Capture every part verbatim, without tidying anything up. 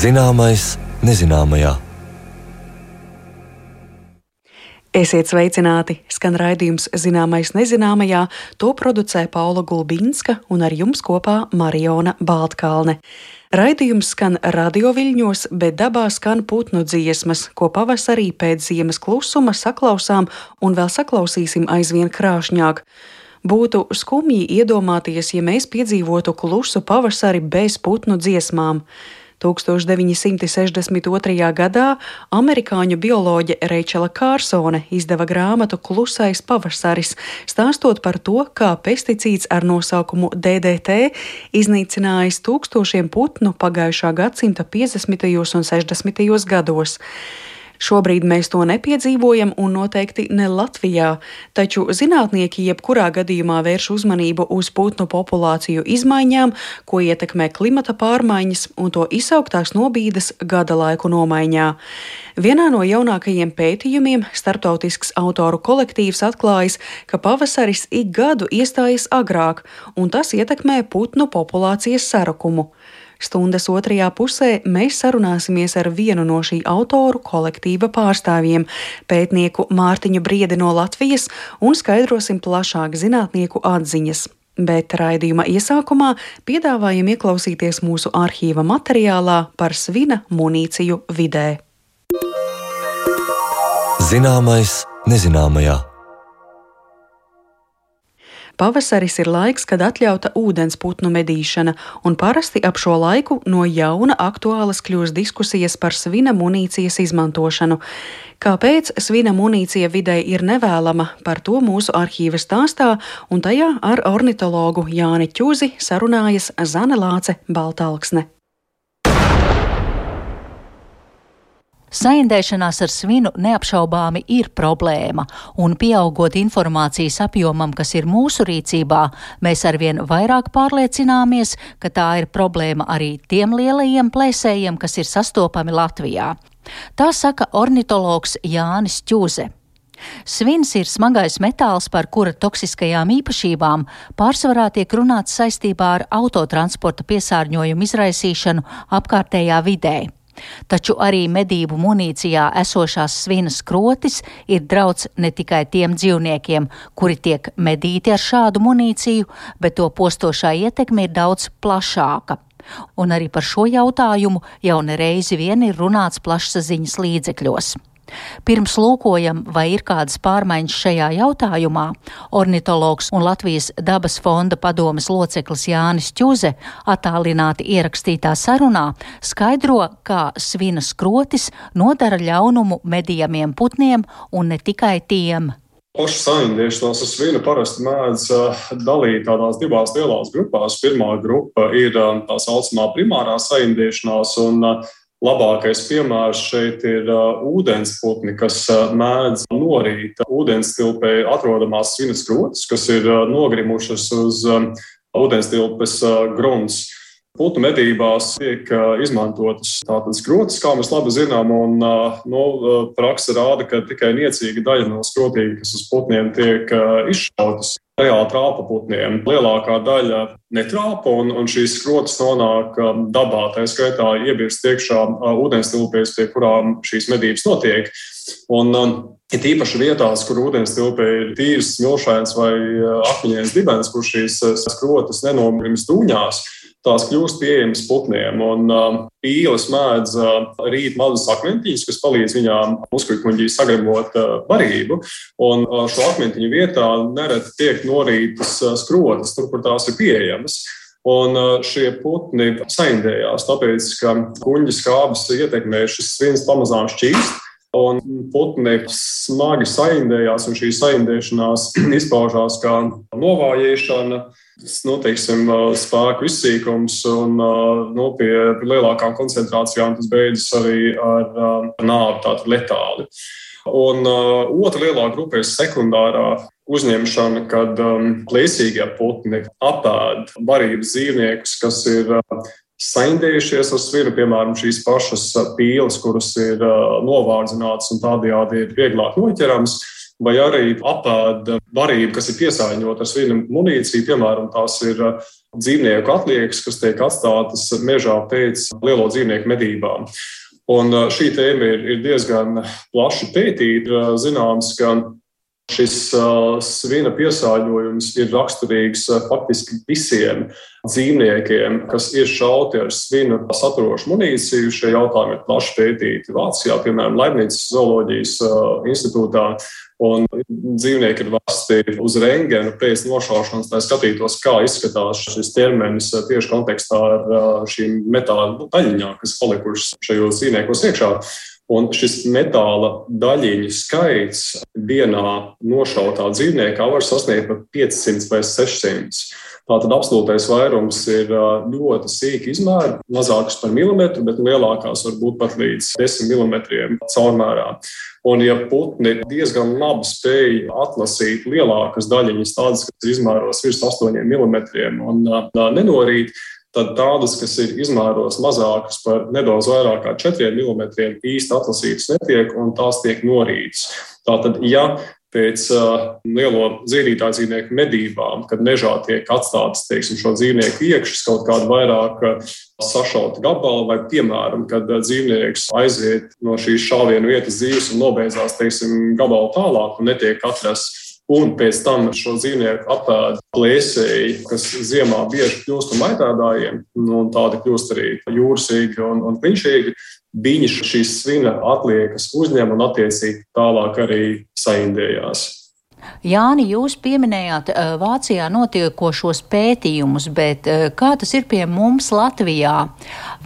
Zināmais nezināmajā. Esiet sveicināti! Skan raidījums Zināmais nezināmajā, to producē Paula Gulbinska un ar jums kopā Mariona Baltkalne. Raidījums skan radioviļņos, bet dabā skan putnu dziesmas, ko pavasarī pēc ziemas klusuma saklausām un vēl saklausīsim aizvien krāšņāk. Būtu skumji iedomāties, ja mēs piedzīvotu klusu pavasari bez putnu dziesmām. tūkstoš deviņi simti sešdesmit otrajā gadā amerikāņu bioloģe Reičela Kārsone izdeva grāmatu Klusais pavasaris, stāstot par to, kā pesticīds ar nosaukumu D D T iznīcinājis tūkstošiem putnu pagājušā gadsimta piecdesmitajos un sešdesmitajos gados. Šobrīd mēs to nepiedzīvojam un noteikti ne Latvijā, taču zinātnieki jebkurā gadījumā vērš uzmanību uz putnu populāciju izmaiņām, ko ietekmē klimata pārmaiņas un to izsauktās nobīdes gada laiku nomaiņā. Vienā no jaunākajiem pētījumiem starptautisks autoru kolektīvs atklājis, ka pavasaris ik gadu iestājas agrāk, un tas ietekmē putnu populācijas sarukumu. Stundas otrajā pusē mēs sarunāsimies ar vienu no šī autoru kolektīva pārstāvjiem, pētnieku Mārtiņu Briedi no Latvijas, un skaidrosim plašāk zinātnieku atziņas. Bet raidījuma iesākumā piedāvājam ieklausīties mūsu arhīva materiālā par svina munīciju vidē. Zināmais nezināmajā. Pavasaris ir laiks, kad atļauta ūdensputnu medīšana, un parasti ap šo laiku no jauna aktuālas kļūst diskusijas par svina munīcijas izmantošanu. Kāpēc svina munīcija videi ir nevēlama, par to mūsu arhīva stāstā, un tajā ar ornitologu Jāni Ķuzi sarunājas Zane Lāce Baltalksne. Saindēšanās ar svinu neapšaubāmi ir problēma, un pieaugot informācijas apjomam, kas ir mūsu rīcībā, mēs arvien vairāk pārliecināmies, ka tā ir problēma arī tiem lielajiem plēsējiem, kas ir sastopami Latvijā. Tā saka ornitologs Jānis Ķuze. Svins ir smagais metāls, par kura toksiskajām īpašībām pārsvarā tiek runāts saistībā ar autotransporta piesārņojumu izraisīšanu apkārtējā vidē. Taču arī medību munīcijā esošās svina skrotis ir drauds ne tikai tiem dzīvniekiem, kuri tiek medīti ar šādu munīciju, bet to postošā ietekme ir daudz plašāka. Un arī par šo jautājumu jau nereizi vien ir runāts plašsaziņas līdzekļos. Pirms lūkojam, vai ir kādas pārmaiņas šajā jautājumā, ornitologs un Latvijas dabas fonda padomes loceklis Jānis Ķuze attālināti ierakstītā sarunā skaidro, kā svina skrotis nodara ļaunumu medījamiem putniem un ne tikai tiem. Pašu saindēšanos ar svinu parasti mēdz dalīt tādās divās lielās grupās. Pirmā grupa ir tā saucamā primārā saindēšanās, un labākais piemērs šeit ir uh, ūdensputni, kas uh, mēdz norīt ūdenstilpē atrodamās svina skrotis, kas ir uh, nogrimušas uz um, ūdenstilpes uh, grunts. Putnu medībās tiek uh, izmantotas tātad skrotis, kā mēs labi zinām, un uh, no, uh, praksa rāda, ka tikai niecīga daļa no skrotīm, kas uz putniem tiek uh, izšautas, reāli trāpa putniem. Lielākā daļa netrāpa, un, un šīs skrotas nonāk um, dabā, tā skaitā iebirst iekšā uh, ūdenstilpēs, pie kurām šīs medības notiek. Un um, ir īpaši vietās, kur ūdenstilpē ir tīrs, smilšains vai uh, akmeņains dibens, kur šīs uh, skrotas nenogrimst dūņās, tās kļūst pieejamas putniem, un uh, pīles mēdz uh, rīt mazus akmentiņus, kas palīdz viņām muskuļkuņģī sagremot uh, barību, un uh, šo akmentiņu vietā nereti tiek norītas uh, skrotas, tur, kur tās ir pieejamas. Un uh, šie putni saindējās, tāpēc, ka kuņģa skābes ietekmē šis svins pamazām šķīst, un putni smagi saindējās, un šī saindēšanās izpaužās kā novājēšana, nu, teiksim, spēku izsīkums, un nu, pie lielākām koncentrācijām tas beidzas arī ar nāvi, tātad letāli. Un uh, otra lielā grupa ir sekundārā uzņemšana, kad um, plēsīgie putni apēd barības dzīvniekus, kas ir uh, saindējušies ar svinu, piemēram, šīs pašas pīles, kuras ir novārdzinātas un tādējādi ir vieglāk noķerams, vai arī apēda barību, kas ir piesārņota ar svina munīciju, piemēram, tās ir dzīvnieku atliekas, kas tiek atstātas mežā pēc lielo dzīvnieku medībām. Un šī tēma ir, ir diezgan plaši pētīta. Zināms, ka šis uh, svina piesārņojums ir raksturīgs uh, faktiski visiem dzīvniekiem, kas ir šauti ar svinu saturošu munīciju. Šie jautājumi ir plaši pētīti Vācijā, piemēram, Leibnices zooloģijas uh, institūtā. Un dzīvnieki ir vesti uz rentgenu pēc nošaušanas, lai skatītos, kā izskatās šis ķermenis tieši kontekstā ar uh, šīm metāla daļiņām, kas palikušas šajos dzīvniekos iekšā. Un šis metāla daļiņu skaits vienā nošautā dzīvniekā var sasniegt pat piecsimt vai sešsimt. Tātad absolūtais vairums ir ļoti sīki izmēri, mazākas par milimetru, bet lielākās var būt pat līdz desmit milimetriem caurmērā. Un ja putni diezgan labi spēj atlasīt lielākas daļiņas, tādas, kas ir izmēros virs astoņiem milimetriem un nenorīt, tad tādas, kas ir izmēros mazākas par nedaudz vairāk kā četriem milimetriem, īsti atlasītas netiek un tās tiek norītas. Tātad, ja pēc uh, lielo dzīvītāju dzīvnieku medībām, kad mežā tiek atstātas, teiksim, šo dzīvnieku iekšas kaut kāda vairāk uh, sašauta gabala, vai, piemēram, kad uh, dzīvnieks aiziet no šīs šāvienu vietas dzīves un nobeidzās, teiksim, gabalu tālāk un netiek atrasts, un pēc tam šo dzīvnieku apēda plēsēji, kas ziemā bieži kļūst par maitēdājiem, un tādi kļūst arī jūrsīgi un, un klinšīgi, viņi šīs svina atliekas uzņem un attiecīgi tālāk arī saindējās. Jāni, jūs pieminējāt Vācijā notiekošos pētījumus, bet kā tas ir pie mums Latvijā?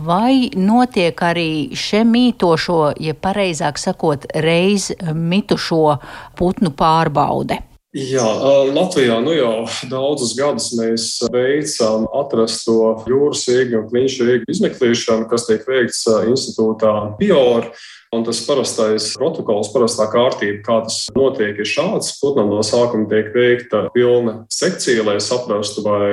Vai notiek arī še mītošo, ja pareizāk sakot, reiz mitušo putnu pārbaude? Jā, Latvijā nu jau daudzus gadus mēs veicam atrasto jūras ieģu un klinšu ieģu izmeklēšanu, kas tiek veikts institūtā Pior. Un tas parastais protokols, parastā kārtība, kā tas notiek, ir šāds. Putnam no sākuma tiek veikta pilna sekcija, lai saprastu, vai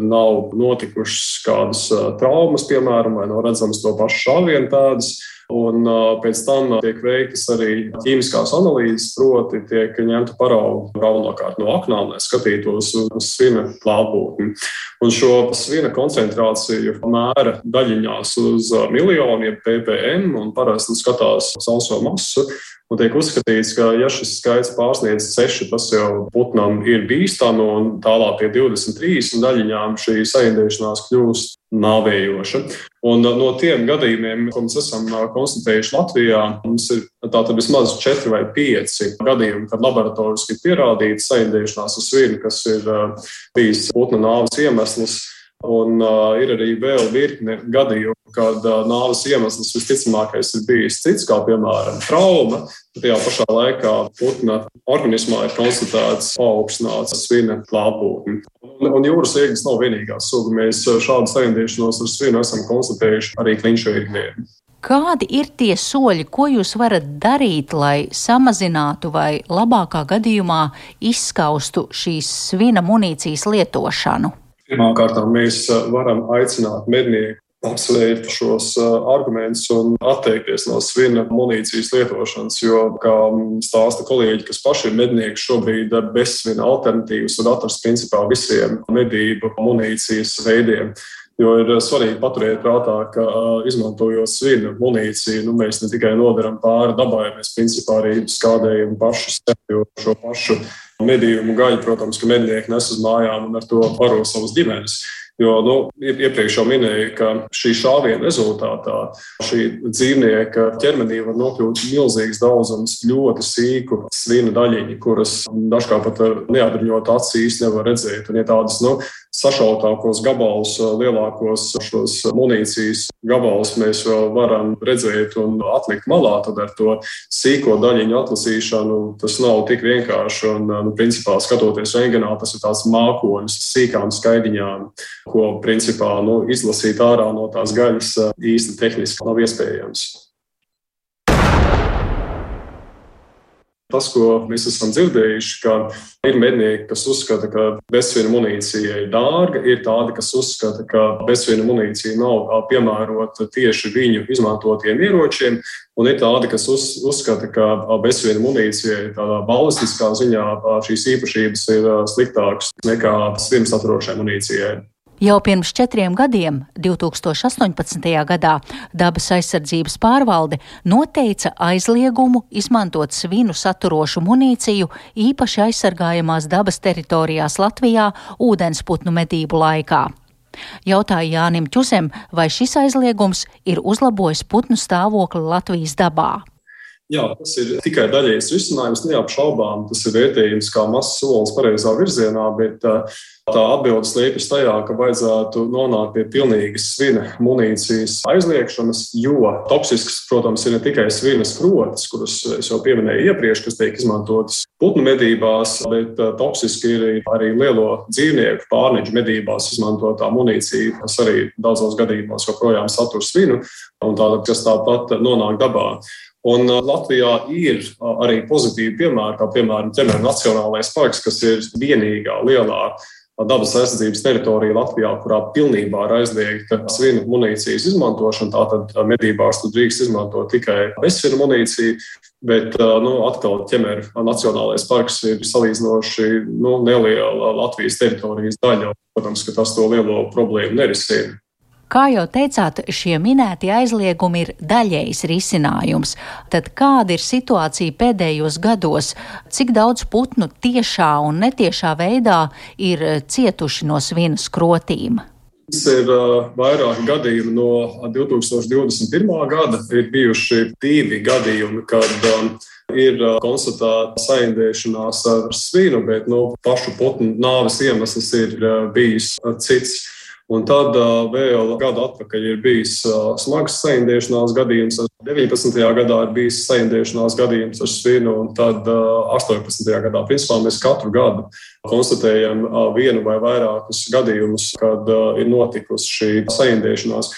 nav notikušas kādas traumas, piemēram, vai nav redzams to pašu šāvienu tādas. Un pēc tam tiek veiktas arī ķīmiskās analīzes, proti tiek ņemta parauga galvenokārt no aknām, lai skatītos uz svina klātbūtni. Un šo svina koncentrāciju mēra daļiņās uz miljoniem ppm un parasti skatās sauso masu. Un tiek uzskatīts, ka ja šis skaits pārsniedz seši, tas jau putnam ir bīstami un tālāk pie divdesmit trīs daļiņām šī saindēšanās kļūst nāvējoša. Un no tiem gadījumiem, ko mēs esam konstatējuši Latvijā, mums ir tātad vismaz četri vai pieci gadījumi, kad laboratoriski ir pierādīta saindēšanās ar svinu, kas ir bijis putna nāves iemesls. Un uh, ir arī vēl virkne gadījumu, kad uh, nāves iemesls visticamākais ir bijis cits, kā piemēram trauma. Tajā pašā laikā putna organismā ir konstatēts paaugstināts svina klātbūtne. Un, un jūras iegas nav vienīgā suga. Mēs šādu saindēšanos ar svinu esam konstatējuši arī klinšu iegniem. Kādi ir tie soļi, ko jūs varat darīt, lai samazinātu vai labākā gadījumā izskaustu šīs svina munīcijas lietošanu? Pirmkārt, mēs varam aicināt mednieku apsvērt šos argumentus un atteikties no svina munīcijas lietošanas, jo, kā stāsta kolēģi, kas paši ir mednieki, šobrīd bez svina alternatīvas var atrast principā visiem medību munīcijas veidiem. Jo ir svarīgi paturēt prātā, ka izmantojot svina munīciju, nu, mēs ne tikai nodaram pāri dabai, mēs principā arī skādējam pašu sevi, jo šo pašu medījumu gaļu, protams, ka mednieki nes uz mājām un ar to baro savus ģimenes. Jo, nu, iepriekš jau minēju, ka šī šāviena rezultātā šī dzīvnieka ķermenī var nokļūt milzīgs daudzums ļoti sīku svina daļiņu, kuras dažkārt pat ar neapbruņotu aci īsti nevar redzēt. Un, ja tādas, nu, sašautākos gabalus, lielākos šos munīcijas gabalus mēs vēl varam redzēt un atlikt malā, tad ar to sīko daļiņu atlasīšanu tas nav tik vienkārši. Un, nu, principā, skatoties rentgenā, tas ir tāds mākonis, sīkām skaidiņām, ko principā nu, izlasīt ārā no tās gaļas īsti tehniski nav iespējams. Tas, ko mēs esam dzirdējuši, ka ir mednieki, kas uzskata, ka bezsvina munīcija ir dārga, ir tādi, kas uzskata, ka bezsvina munīcija nav piemērota tieši viņu izmantotiem ieročiem, un ir tādi, kas uz, uzskata, ka bezsvina munīcija ir tādā balistiskā ziņā šīs īpašības ir sliktākas nekā svinu saturošai munīcijai. Jau pirms četriem gadiem, divs tūkstoši astoņpadsmitajā gadā, Dabas aizsardzības pārvalde noteica aizliegumu izmantot svinu saturošu munīciju īpaši aizsargājamās dabas teritorijās Latvijā ūdensputnu medību laikā. Jautāja Jānim Čusem, vai šis aizliegums ir uzlabojis putnu stāvokli Latvijas dabā. Jā, tas ir tikai daļējs risinājums, neapšaubām. Tas ir vērtējums kā mazs solis pareizā virzienā, bet tā atbilde slēpjas tajā, ka vajadzētu nonākt pie pilnīgas svina munīcijas aizliegšanas, jo toksisks, protams, ir ne tikai svina skrotis, kuras es jau pieminēju iepriekš, kas tiek izmantotas putnu medībās, bet toksiski ir arī lielo dzīvnieku pārneģu medībās izmantotā munīcija, kas arī daudzos gadījumos joprojām satur svinu, un tāda, kas tāpat nonāk dabā. Un Latvijā ir arī pozitīvi piemēri, kā piemēram Ķemeru Nacionālais parks, kas ir vienīgā lielā dabas aizsardzības teritorija Latvijā, kurā pilnībā ir aizliegta svinu munīcijas izmantošana. Tātad medībās tur drīkst izmantot tikai bezsvinu munīciju, bet nu, atkal Ķemeru Nacionālais parks ir salīdzinoši nu, neliela Latvijas teritorijas daļa. Protams, ka tas to lielo problēmu nerisina. Kā jau teicāt, šie minētie aizliegumi ir daļējs risinājums. Tad kāda ir situācija pēdējos gados? Cik daudz putnu tiešā un netiešā veidā ir cietuši no svina skrotīm? Tas ir uh, vairāki gadījumi no divi tūkstoši divdesmit pirmā gada. Ir bijuši divi gadījumi, kad um, ir uh, konstatēta saindēšanās ar svinu, bet no pašu putnu nāves iemesls ir uh, bijis uh, cits. Un tad uh, vēl gadu atpakaļ ir bijis uh, smags saindēšanās gadījums. deviņpadsmitajā gadā ir bijis saindēšanās gadījums ar svinu, un tad uh, astoņpadsmitajā gadā. Principā mēs katru gadu konstatējam uh, vienu vai vairākus gadījumus, kad uh, ir notikusi šī saindēšanās.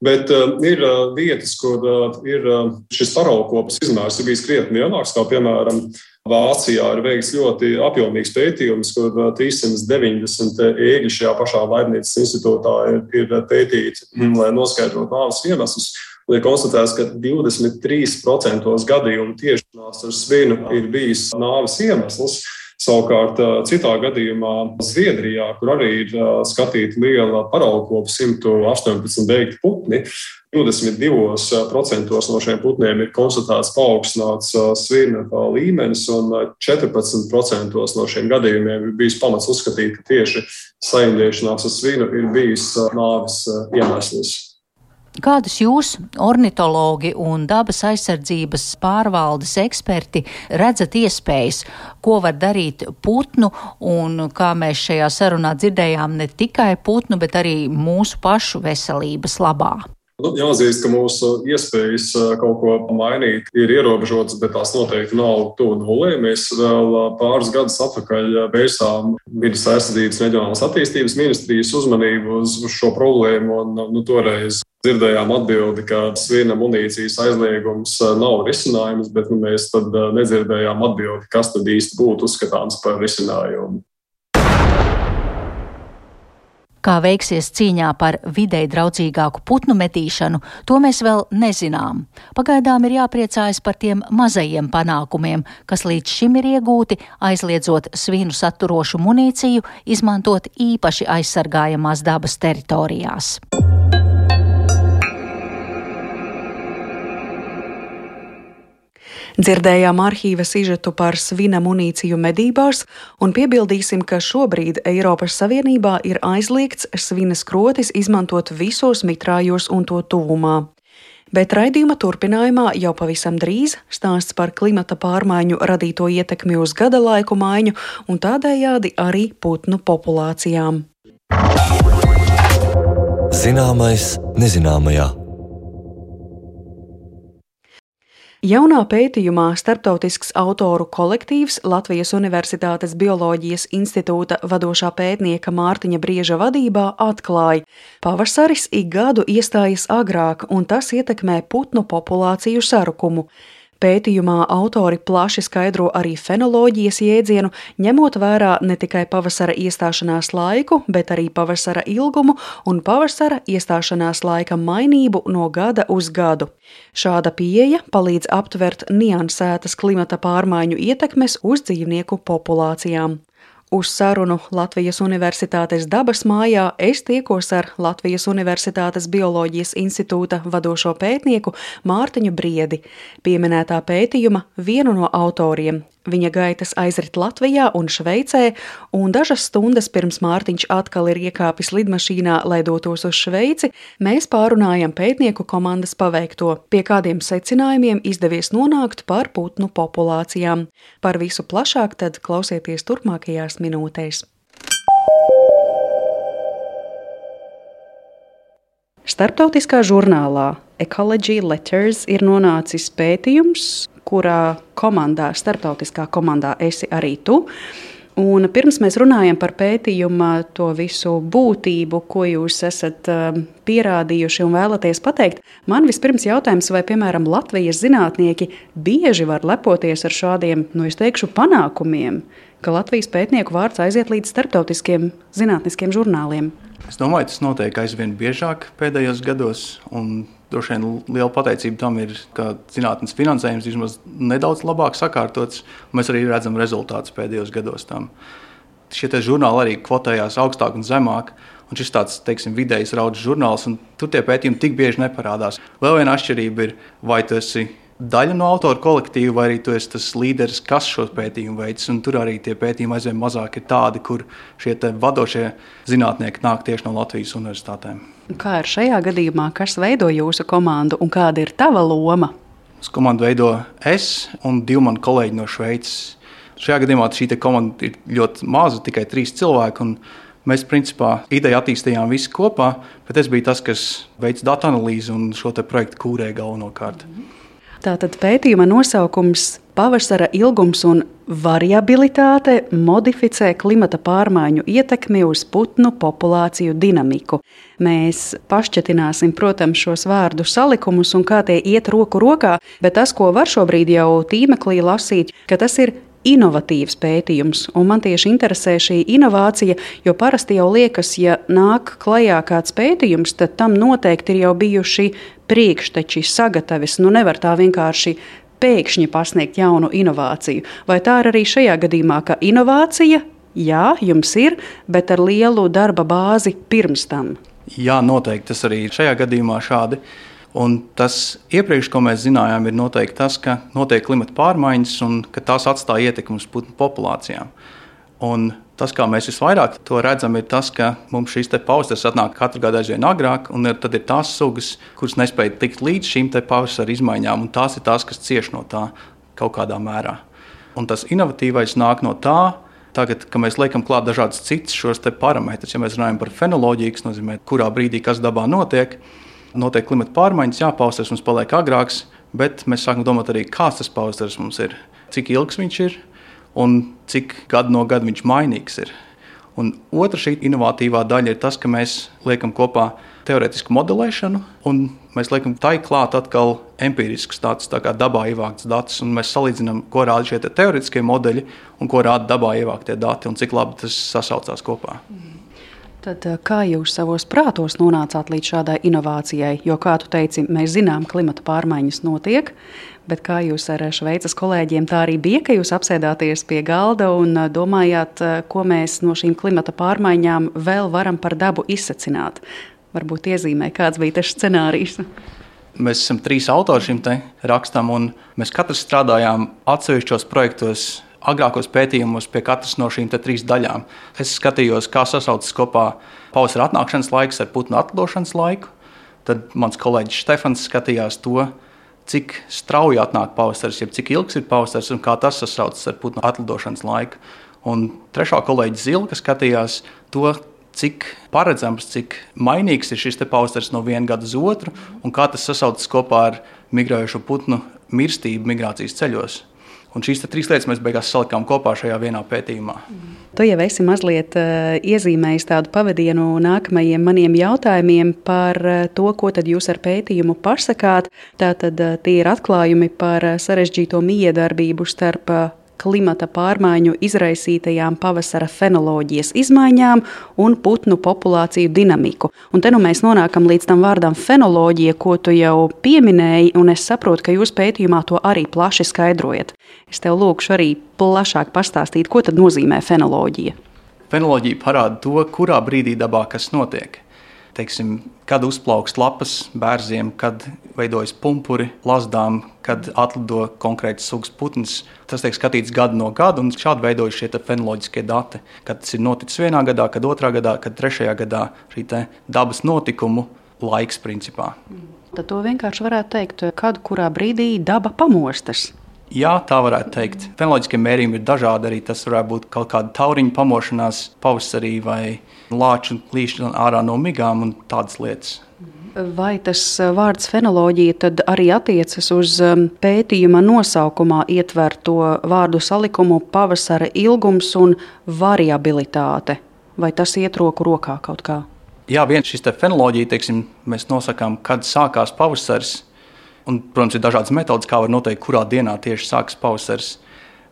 Bet uh, ir uh, vietas, kur uh, ir uh, šis paraugkopes izmērs ir bijis krietni lielāks, kā piemēram Vācijā ir veikts ļoti apjomīgs pētījums, kur trīssimt deviņdesmit ēgļi šajā pašā Laibnīcas institūtā ir, ir pētīti, lai noskaidrotu nāves iemeslus. Un ir konstatēts, ka divdesmit trīs procenti gadījumu tiešanās ar svinu ir bijis nāves iemesls. Savukārt citā gadījumā Zviedrijā, kur arī ir skatīta liela paraugkopa simt astoņpadsmit beigti putni, divdesmit divi procenti no šiem putniem ir konstatēts paaugstināts svina līmenis, un četrpadsmit procenti no šiem gadījumiem ir bijis pamats uzskatīt, ka tieši saindēšanās ar svinu ir bijis nāves iemesls. Kādus jūs, ornitologi un dabas aizsardzības pārvaldes eksperti, redzat iespējas, ko var darīt putnu, un kā mēs šajā sarunā dzirdējām, ne tikai putnu, bet arī mūsu pašu veselības labā? Nu, jāatzīst, ka mūsu iespējas kaut ko mainīt ir ierobežotas, bet tās noteikti nav tuvu nulē. Mēs vēl pāris gadus atpakaļ vērsām Vides aizsardzības reģionālās attīstības ministrijas uzmanību uz, uz šo problēmu, un nu, toreiz dzirdējām atbildi, ka svina munīcijas aizliegums nav risinājums, bet nu, mēs tad nedzirdējām atbildi, kas tad īsti būtu uzskatāms par risinājumu. Kā veiksies cīņā par videi draudzīgāku putnu medīšanu, to mēs vēl nezinām. Pagaidām ir jāpriecājas par tiem mazajiem panākumiem, kas līdz šim ir iegūti, aizliedzot svinu saturošu munīciju, izmantot īpaši aizsargājamās dabas teritorijās. Dzirdējām arhīva sižetu par svina munīciju medībās un piebildīsim, ka šobrīd Eiropas Savienībā ir aizliegts svina skrotis izmantot visos mitrājos un to tuvumā. Bet raidījuma turpinājumā jau pavisam drīz stāsts par klimata pārmaiņu radīto ietekmi uz gada laiku maiņu un tādējādi arī putnu populācijām. Zināmais nezināmajā. Jaunā pētījumā starptautisks autoru kolektīvs Latvijas Universitātes Bioloģijas institūta vadošā pētnieka Mārtiņa Brieža vadībā atklāja, pavasaris ik gadu iestājas agrāk, un tas ietekmē putnu populāciju sarukumu. Pētījumā autori plaši skaidro arī fenoloģijas jēdzienu, ņemot vērā ne tikai pavasara iestāšanās laiku, bet arī pavasara ilgumu un pavasara iestāšanās laika mainību no gada uz gadu. Šāda pieeja palīdz aptvert niansētas klimata pārmaiņu ietekmes uz dzīvnieku populācijām. Uz sarunu Latvijas Universitātes dabas mājā es tiekos ar Latvijas Universitātes Bioloģijas institūta vadošo pētnieku Mārtiņu Briedi, pieminētā pētījuma vienu no autoriem. Viņa gaitas aizrit Latvijā un Šveicē, un dažas stundas pirms Mārtiņš atkal ir iekāpis lidmašīnā, lai dotos uz Šveici, mēs pārunājam pētnieku komandas paveikto, pie kādiem secinājumiem izdevies nonākt par putnu populācijām. Par visu plašāk tad klausieties turpmākajās minūtēs. Starptautiskā žurnālā Ecology Letters ir nonācis pētījums, kurā komandā, starptautiskā komandā esi arī tu. Un pirms mēs runājam par pētījuma to visu būtību, ko jūs esat pierādījuši un vēlaties pateikt, man vispirms jautājums, vai, piemēram, Latvijas zinātnieki bieži var lepoties ar šādiem, nu es teikšu, panākumiem, ka Latvijas pētnieku vārds aiziet līdz starptautiskiem zinātniskiem žurnāliem. Es domāju, tas notiek aizvien biežāk pēdējos gados, un droši vien liela pateicība tam ir, ka zinātnes finansējums vismaz nedaudz labāk sakārtots, un mēs arī redzam rezultātus pēdējos gados tam. Šie te žurnāli arī kvotējās augstāk un zemāk, un šis tāds, teiksim, vidējs raudzes žurnāls, un tur tie pētījumi tik bieži neparādās. Vēl viena atšķirība ir, vai tu esi daļa no autoru kolektīva, vai arī tu esi tas līderis, kas šo pētījumu veids, un tur arī tie pētījumi aizvien mazāk ir tādi, kur šie te vadošie zinātnieki nāk tieši no Latvijas universitātēm. Kā ir šajā gadījumā, kas veido jūsu komandu un kāda ir tava loma? Komandu veido es un divi mani kolēģi no Šveices. Šajā gadījumā šī te komanda ir ļoti maza, tikai trīs cilvēki, un mēs principā ideju attīstījām visi kopā, bet es biju tas, kas veic datu analīzi un šo te projektu kūrēja galvenokārt. Tātad pētījuma nosaukums Pavasara ilgums un variabilitāte modificē klimata pārmaiņu ietekmi uz putnu populāciju dinamiku. Mēs pašķetināsim, protams, šos vārdu salikumus un kā tie iet roku rokā, bet tas, ko var šobrīd jau tīmeklī lasīt, ka tas ir inovatīvs pētījums, un man tieši interesē šī inovācija, jo parasti jau liekas, ja nāk klajā kāds pētījums, tad tam noteikti ir jau bijuši priekšteči, sagatavis, nu nevar tā vienkārši pēkšņi pasniegt jaunu inovāciju. Vai tā ir arī šajā gadījumā, ka inovācija, jā, jums ir, bet ar lielu darba bāzi pirms tam? Jā, noteikti tas arī ir šajā gadījumā šādi. Un tas iepriekš, ko mēs zinājām, ir noteikti tas, ka notiek klimata pārmaiņas un ka tās atstāja ietekmi uz putnu populācijām. Un tas, kā mēs visvairāk to redzam, ir tas, ka mums šīs te pavasaras atnāk katru gadu aizvien agrāk, un ir, tad ir tās sugas, kuras nespēja tikt līdz šīm te pavasara izmaiņām, un tās ir tās, kas cieš no tā kaut kādā mērā. Un tas inovatīvais nāk no tā, tagad, ka mēs liekam klāt dažādas citas šos te parametrus. Ja mēs runājam par fenoloģiju, kas nozīmē, kurā brīdī kas dabā notiek, notiek klimata pārmaiņas, jā, pavasaris mums paliek agrāks, bet mēs sākam domāt arī, kāds tas pavasaris mums ir, cik ilgs viņš ir un cik gadu no gada viņš mainīgs ir. Un otra šī inovatīvā daļa ir tas, ka mēs liekam kopā teoretisku modelēšanu un mēs liekam tai klāt atkal empiriskus datus, tā kā dabā ievākts datus, un mēs salīdzinām, ko rāda šie te teoretiskie modeļi un ko rāda dabā ievāktie dati un cik labi tas sasaucās kopā. Tad kā jūs savos prātos nonācāt līdz šādai inovācijai? Jo, kā tu teici, mēs zinām, klimata pārmaiņas notiek, bet kā jūs ar Šveices kolēģiem tā arī bija, ka jūs apsēdāties pie galda un domājāt, ko mēs no šīm klimata pārmaiņām vēl varam par dabu izsacināt? Varbūt iezīmē, kāds bija tas scenārijs? Mēs esam trīs autori šim te rakstam, un mēs katrs strādājām atsevišķos projektos, agrākos pētījumos pie katras no šīm te trīs daļām. Es skatījos, kā sasaucas kopā pavasara atnākšanas laiks ar putnu atlidošanas laiku. Tad mans kolēģis Štefans skatījās to, cik strauji atnāk pavasaris, jeb cik ilgs ir pavasaris un kā tas sasaucas ar putnu atlidošanas laiku. Un trešā kolēģis Zilka skatījās to, cik paredzams, cik mainīgs ir šis te pavasaris no viena gada uz otru un kā tas sasaucas kopā ar migrējošo putnu mirstību migrācijas ceļos. Un šīs trīs lietas mēs beigās salikām kopā šajā vienā pētījumā. Tu jau esi mazliet uh, iezīmējis tādu pavadienu nākamajiem maniem jautājumiem par uh, to, ko tad jūs ar pētījumu pasakāt. Tātad uh, tie ir atklājumi par uh, sarežģīto miedarbību starp uh, klimata pārmaiņu izraisītajām pavasara fenoloģijas izmaiņām un putnu populāciju dinamiku. Un te nu mēs nonākam līdz tam vārdam fenoloģija, ko tu jau pieminēji, un es saprotu, ka jūs pētījumā to arī plaši skaidrojat. Es tev lūkšu arī plašāk pastāstīt, ko tad nozīmē fenoloģija. Fenoloģija parāda to, kurā brīdī dabā kas notiek. Teiksim, kad uzplaukst lapas bērziem, kad veidojas pumpuri lazdām, kad atlido konkrēts sugas putns. Tas tiek skatīts gadu no gada, un šādi veidojas šie fenoloģiskie dati. Kad tas ir noticis vienā gadā, kad otrā gadā, kad trešajā gadā šī dabas notikumu laiks principā. Tad to vienkārši varētu teikt, kad kurā brīdī daba pamostas. Jā, tā varētu teikt. Fenoloģiskie mērījumi ir dažādi. Arī tas varētu būt kaut kāda tauriņa pamošanās pavasarī vai lāču līšana ārā no migām un tādas lietas. Vai tas vārds fenoloģija tad arī attiecas uz pētījuma nosaukumā ietverto vārdu salikumu pavasara ilgums un variabilitāte? Vai tas iet roku rokā kaut kā? Jā, viens šis te fenoloģija, teiksim, mēs nosakām, kad sākās pavasaris. Un, protams, ir dažādas metodas, kā var noteikt, kurā dienā tieši sākas pavasaris.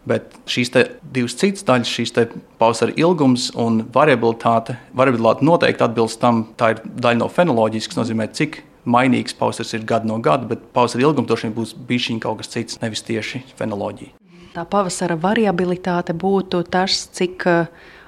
Bet šīs divas citas daļas, šīs pavasara ilgums un variabilitāte, variabilitāte noteikti atbilst tam. Tā ir daļa no fenoloģijas, kas nozīmē, cik mainīgs pavasaris ir gadu no gada, bet pavasara ilgums droši vien būs bišķiņ kaut kas cits, nevis tieši fenoloģija. Tā pavasara variabilitāte būtu tas, cik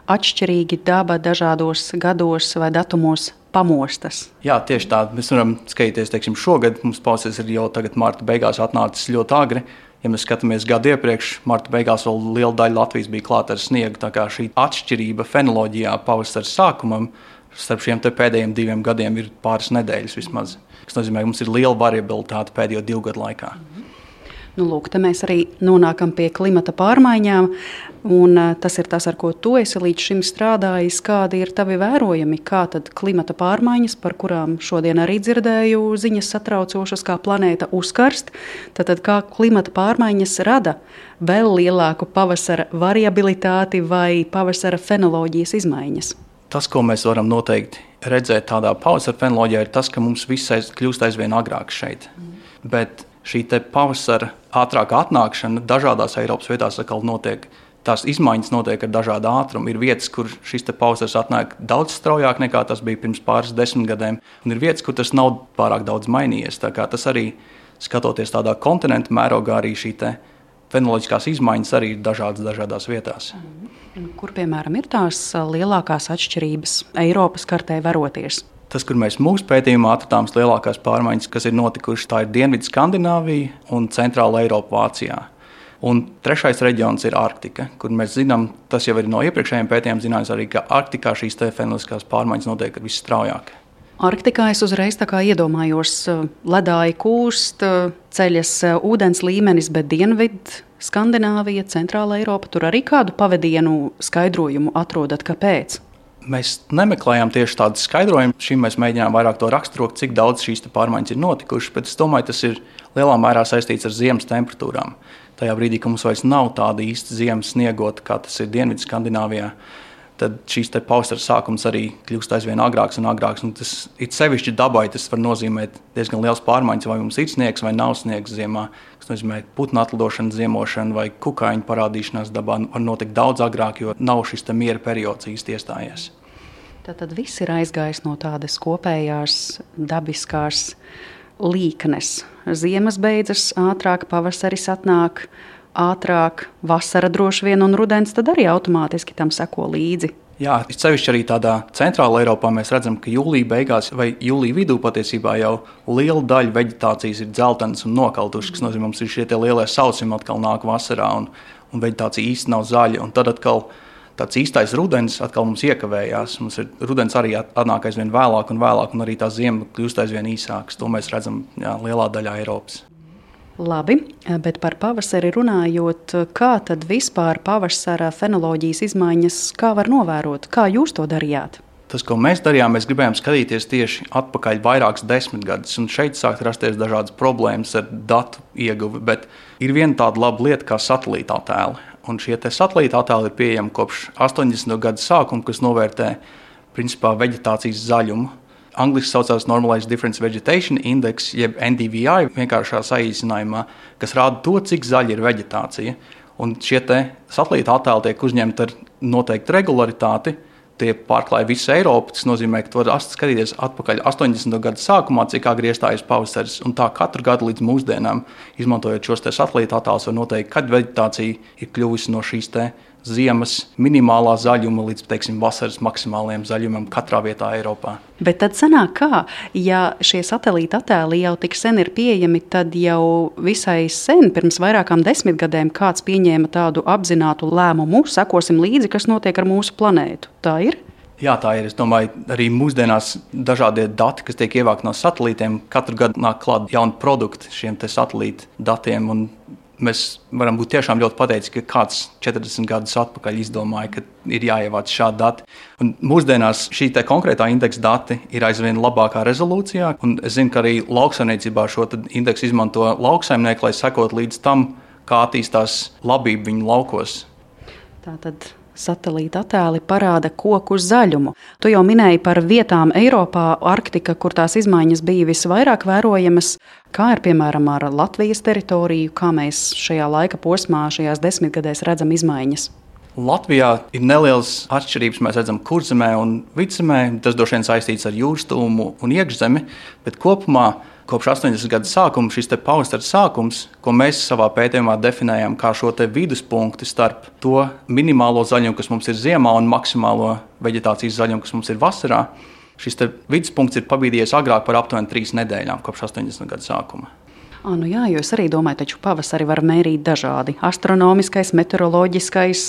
atšķirīgi daba dažādos gados vai datumos pamostas. Jā, tieši tā. Mēs varam skatīties, teiksim, šogad mums pavasaris ir jau tagad marta beigās atnācis ļoti agri. Ja mēs skatāmies gadu iepriekš, marta beigās vēl liela daļa Latvijas bija klāta ar sniegu. Tā kā šī atšķirība fenoloģijā pavasara sākumam starp šiem te pēdējiem diviem gadiem ir pāris nedēļas vismaz. Tas nozīmē, ka mums ir liela variabilitāte pēdējo divu gadu laikā. Nu, lūk, te mēs arī nonākam pie klimata pārmaiņām, un tas ir tas, ar ko tu esi līdz šim strādājis. Kādi ir tavi vērojumi, kā tad klimata pārmaiņas, par kurām šodien arī dzirdēju ziņas satraucošas, kā planēta uzkarst, tad kā klimata pārmaiņas rada vēl lielāku pavasara variabilitāti vai pavasara fenoloģijas izmaiņas? Tas, ko mēs varam noteikti redzēt tādā pavasara fenoloģijā, ir tas, ka mums viss aiz, kļūst aizvien agrāk šeit. Mm. Bet šī te pavasara ātrāka atnākšana dažādās Eiropas vietās atkal notiek. Tās izmaiņas notiek ar dažādu ātrumu. Ir vietas, kur šis te pavasaris atnāk daudz straujāk nekā tas bija pirms pāris desmitgadēm, un ir vietas, kur tas nav pārāk daudz mainījies. Tā kā tas arī, skatoties tādā kontinentu mērogā, arī šī te fenoloģiskās izmaiņas arī ir dažādas dažādās vietās. Kur, piemēram, ir tās lielākās atšķirības Eiropas kartē veroties? Tas, kur mēs mūsu pētījumā atradām lielākās pārmaiņas, kas ir notikušas, tā ir Dienvidu Skandināvija un Centrāla Eiropa Vācijā. Un trešais reģions ir Arktika, kur mēs zinām, tas jau ir no iepriekšējiem pētījumiem zināms arī, ka Arktikā šīs te fenoloģiskās pārmaiņas notiek visstraujāk. Arktikā es uzreiz tā kā iedomājos, ledāji kūst, ceļas ūdens līmenis, bet Dienvidu Skandināvija, Centrāla Eiropa, tur arī kādu pavadienu skaidrojumu atrodat, kāpēc? Mēs nemeklējām tieši tādu skaidrojumu. Šim mēs mēģinājām vairāk to raksturot, cik daudz šīs pārmaiņas ir notikušas, bet es domāju, tas ir lielā mērā saistīts ar ziemas temperatūrām. Tajā brīdī, kad mums vairs nav tāda īsta ziemas sniegota, kā tas ir Dienvidu Skandināvijā, tad šīs pavasara sākums arī kļūst aizvien agrāks un agrāks. Un tas ir sevišķi dabai, tas var nozīmēt diezgan liels pārmaiņas, vai mums ir sniegs vai nav sniegs ziemā. Tas nozīmē putnu atlidošana, ziemošana vai kukaiņu parādīšanās dabā var notikt daudz agrāk, jo nav šis miera periods īsti iestājies. Tātad viss ir aizgājis no tādas kopējās dabiskās līknes. Ziemas beidzas ātrāk, pavasaris atnāk ātrāk, vasara droši vien un rudens tad arī automātiski tam seko līdzi. Jā, sevišķi arī tādā centrāla Eiropā mēs redzam, ka jūlija beigās vai jūlija vidū patiesībā jau liela daļa veģetācijas ir dzeltenas un nokautušas, kas nozīmē, mums ir šie tie lielie sausumi atkal nāk vasarā un, un veģetācija īsti nav zaļa. Un tad atkal tāds īstais rudens atkal mums iekavējās. Mums ir rudens arī atnāk aizvien vēlāk un vēlāk, un arī tā ziema kļūst aizvien īsākas. To mēs redzam jā, lielā daļā Eiropas. Labi, bet par pavasari runājot, kā tad vispār pavasara fenoloģijas izmaiņas, kā var novērot? Kā jūs to darījāt? Tas, ko mēs darījām, mēs gribējām skatīties tieši atpakaļ vairākas desmitgadus, un šeit sākt rasties dažādas problēmas ar datu ieguvi, bet ir viena tāda laba lieta kā satelīta attēli. Un šie satelīta attēli ir pieejami kopš astoņdesmito gadu sākuma, kas novērtē principā veģetācijas zaļumu. Angliski saucās Normalized Difference Vegetation Index, jeb N D V I, vienkāršā saīsinājumā, kas rāda to, cik zaļa ir veģetācija. Un šie satelīta attēli tiek uzņemti ar noteiktu regularitāti. Tie pārklāja visu Eiropu, tas nozīmē, ka tu vari skatīties atpakaļ astoņdesmito gadu sākumā, cik agri iestājas pavasaris, un tā katru gadu līdz mūsdienām, izmantojot šos satelīta attēlus, var noteikt, kad veģetācija ir kļuvusi no šīs te ziemas minimālā zaļuma līdz, teiksim, vasaras maksimālajiem zaļumam katrā vietā Eiropā. Bet tad sanāk kā, ja šie satelīta attēli jau tik sen ir pieejami, tad jau visai sen, pirms vairākām desmitgadēm, kāds pieņēma tādu apzinātu lēmumu, sekosim līdzi, kas notiek ar mūsu planētu. Tā ir? Jā, tā ir. Es domāju, arī mūsdienās dažādie dati, kas tiek ievākti no satelītiem, katru gadu nāk klāt jauni produkti šiem te satelīta datiem, un mēs varam būt tiešām ļoti pateicīgi, ka kāds četrdesmit gadus atpakaļ izdomāja, ka ir jāievāc šādi dati. Un mūsdienās šī te konkrētā indeksa dati ir aizvien labākā rezolūcijā. Un es zinu, ka arī lauksaimniecībā šo indeksu izmanto lauksaimnieki, lai sekot līdz tam, kā attīstās labība viņu laukos. Tātad satelīta attēli parāda koku zaļumu. Tu jau minēji par vietām Eiropā, Arktika, kur tās izmaiņas bija visvairāk vērojamas. Kā ir, piemēram, ar Latvijas teritoriju, kā mēs šajā laika posmā, šajās desmitgadēs redzam izmaiņas? Latvijā ir nelielas atšķirības. Mēs redzam kurzemē un vidzemē. Tas droši vien saistīts ar jūras tūmu un iekšzemi, bet kopumā kopš astoņdesmito gadu sākuma šis te pavasara sākums, ko mēs savā pētījumā definējam kā šo te viduspunktu starp to minimālo zaļumu, kas mums ir ziemā, un maksimālo veģetācijas zaļumu, kas mums ir vasarā, šis te viduspunkts ir pabīdījies agrāk par aptuveni trīs nedēļām kopš astoņdesmito gadu sākuma. À, nu jā, jo es arī domāju, taču pavasari var mērīt dažādi. Astronomiskais, meteoroloģiskais,